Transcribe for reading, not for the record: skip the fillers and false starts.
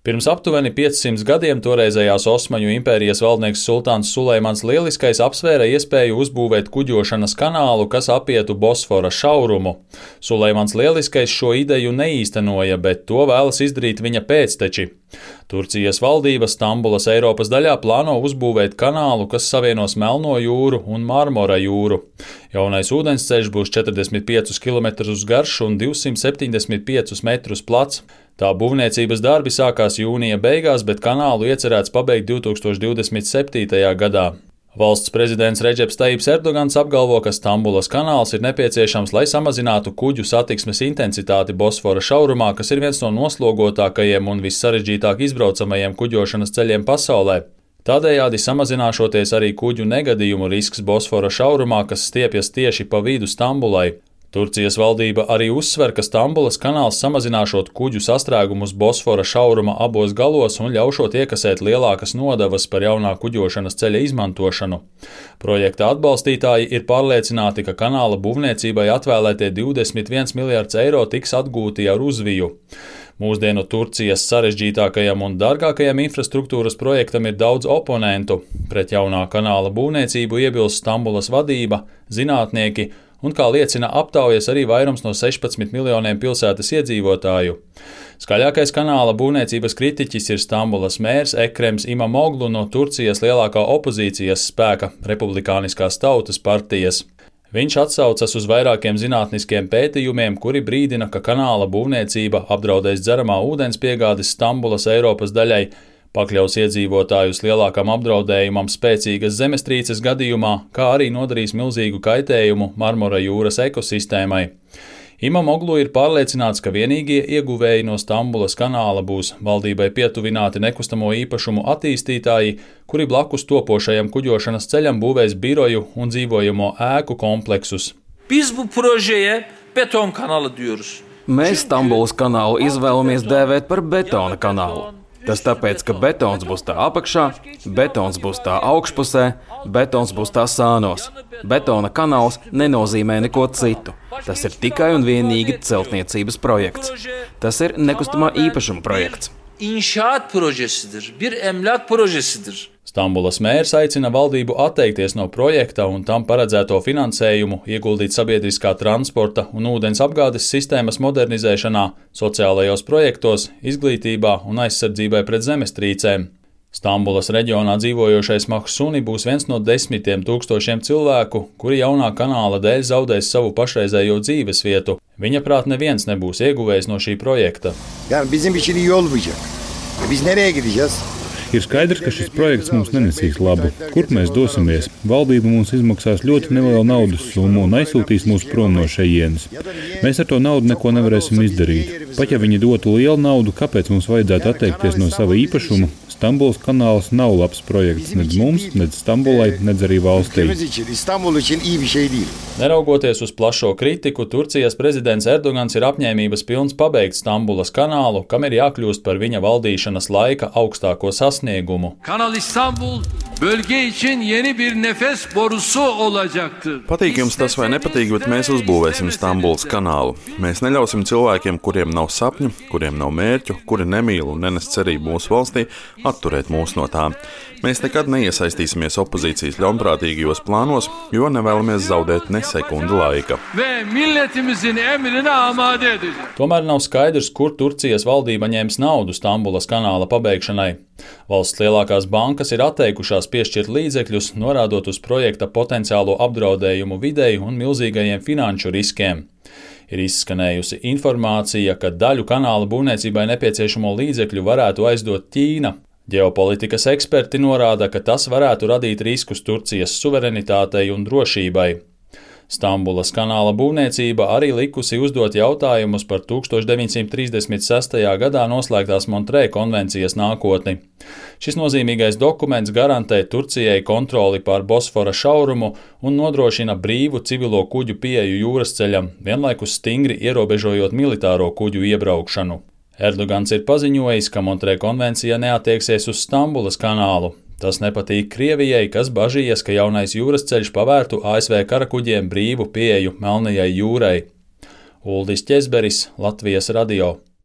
Pirms aptuveni 500 gadiem toreizējās Osmaņu impērijas valdnieks sultāns Suleimans Lieliskais apsvēra iespēju uzbūvēt kuģošanas kanālu, kas apietu Bosfora šaurumu. Suleimans Lieliskais šo ideju neīstenoja, bet to vēlas izdarīt viņa pēcteči. Turcijas valdība Stambulas Eiropas daļā plāno uzbūvēt kanālu, kas savienos Melno jūru un Marmora jūru. Jaunais ūdensceļš būs 45 km garš un 275 metrus plats. Tā būvniecības darbi sākās jūnija beigās, bet kanālu iecerēts pabeigt 2027. gadā. Valsts prezidents Redžeps Tajips Erdogans apgalvo, ka Stambulas kanāls ir nepieciešams, lai samazinātu kuģu satiksmes intensitāti Bosfora šaurumā, kas ir viens no noslogotākajiem un vissarežģītāk izbraucamajiem kuģošanas ceļiem pasaulē. Tādējādi samazināšoties arī kuģu negadījumu risks Bosfora šaurumā, kas stiepjas tieši pa vidu Stambulai. Turcijas valdība arī uzsver, ka Stambulas kanāls samazināšot kuģu sastrēgumus Bosfora šauruma abos galos un ļaušot iekasēt lielākas nodevas par jaunā kuģošanas ceļa izmantošanu. Projekta atbalstītāji ir pārliecināti, ka kanāla būvniecībai atvēlētie 21 miljardi eiro tiks atgūti ar uzviju. Mūsdienu Turcijas sarežģītākajam un dārgākajam infrastruktūras projektam ir daudz oponentu. Pret jaunā kanāla būvniecību iebilst Stambulas vadība, zinātnieki, un, kā liecina aptaujas, arī vairums no 16 miljoniem pilsētas iedzīvotāju. Skaļākais kanāla būvniecības kritiķis ir Stambulas mērs Ekrems Imamoglu no Turcijas lielākā opozīcijas spēka Republikāniskās tautas partijas. Viņš atsaucas uz vairākiem zinātniskiem pētījumiem, kuri brīdina, ka kanāla būvniecība apdraudēs dzeramā ūdens piegādes Stambulas Eiropas daļai, pakļaus iedzīvotājus lielākam apdraudējumam spēcīgas zemestrīces gadījumā, kā arī nodarīs milzīgu kaitējumu Marmora jūras ekosistēmai. Imamoglu ir pārliecināts, ka vienīgie ieguvēji no Stambulas kanāla būs valdībai pietuvināti nekustamo īpašumu attīstītāji, kuri blakus topošajam kuģošanas ceļam būvēs biroju un dzīvojamo ēku kompleksus. Biz bu projeye beton kanalı diyoruz. Mēs Stambulas kanālu izvēlamies dēvēt par betona kanālu. Tas tāpēc, ka betons būs tā apakšā, betons būs tā augšpusē, betons būs tā sānos. Betona kanāls nenozīmē neko citu. Tas ir tikai un vienīgi celtniecības projekts. Tas ir nekustamā īpašuma projekts. İnşaat projesidir, bir emlak projesidir. Stambulas mērs aicina valdību atteikties no projekta un tam paredzēto finansējumu ieguldīt sabiedriskā transporta un ūdens apgādes sistēmas modernizēšanā, sociālajos projektos, izglītībā un aizsardzībai pret zemestrīcēm. Stambulas reģionā dzīvojošais Mahsuni būs viens no 10 000 cilvēku, kuri jaunā kanāla dēļ zaudēs savu pašreizējo dzīvesvietu. Viņa prāt neviens nebūs ieguvējis no šī projekta. Ir skaidrs, ka šis projekts mums nenesīs labu. Kur mēs dosimies? Valdība mums izmaksās ļoti nelielu naudas summu un aizsūtīs mūs prom no šejienes. Mēs ar to naudu neko nevarēsim izdarīt. Pat ja viņi dotu lielu naudu, kāpēc mums vajadzētu atteikties no sava īpašuma? Stambulas kanāls nav labs projekts nedz mums, nedz Stambulai, nedz arī valstī. Neraugoties uz plašo kritiku, Turcijas prezidents Erdogans ir apņēmības pilns pabeigt Stambulas kanālu, kam ir jākļūst par viņa valdīšanas laika augstāko sasniegumu. Kanal İstanbul bölge için yeni bir nefes borusu olacaktır. Patīk jums tas vai nepatīk, bet mēs uzbūvēsim Stambulas kanālu. Mēs neļausim cilvēkiem, kuriem nav sapņu, kuriem nav mērķu, kuri nemīl un nenes cerību mūsu valstī, atturēt mūs no tām. Mēs nekad neiesaistīsimies opozīcijas ļaunprātīgajos plānos, jo nevēlamies zaudēt ne sekundi laika. Tomēr nav skaidrs, kur Turcijas valdība ņems naudu Stambulas kanāla pabeigšanai. Valsts lielākās bankas ir atteikušās piešķirt līdzekļus, norādot uz projekta potenciālo apdraudējumu videi un milzīgajiem finanšu riskiem. Ir izskanējusi informācija, ka daļu kanāla būvniecībai nepieciešamo līdzekļu varētu aizdot Ķīna. Ģeopolitikas eksperti norāda, ka tas varētu radīt riskus Turcijas suverenitātei un drošībai. Stambulas kanāla būvniecība arī likusi uzdot jautājumus par 1936. gadā noslēgtās Montrē konvencijas nākotni. Šis nozīmīgais dokuments garantē Turcijai kontroli pār Bosfora šaurumu un nodrošina brīvu civilo kuģu pieeju jūras ceļam, vienlaikus stingri ierobežojot militāro kuģu iebraukšanu. Erdogans ir paziņojis, ka Montrē konvencija neattieksies uz Stambulas kanālu. Tas nepatīk Krievijai, kas bažījies, ka jaunais jūras ceļš pavērtu ASV karakuģiem brīvu pieeju Melnajai jūrai. Uldis Ķezberis, Latvijas radio.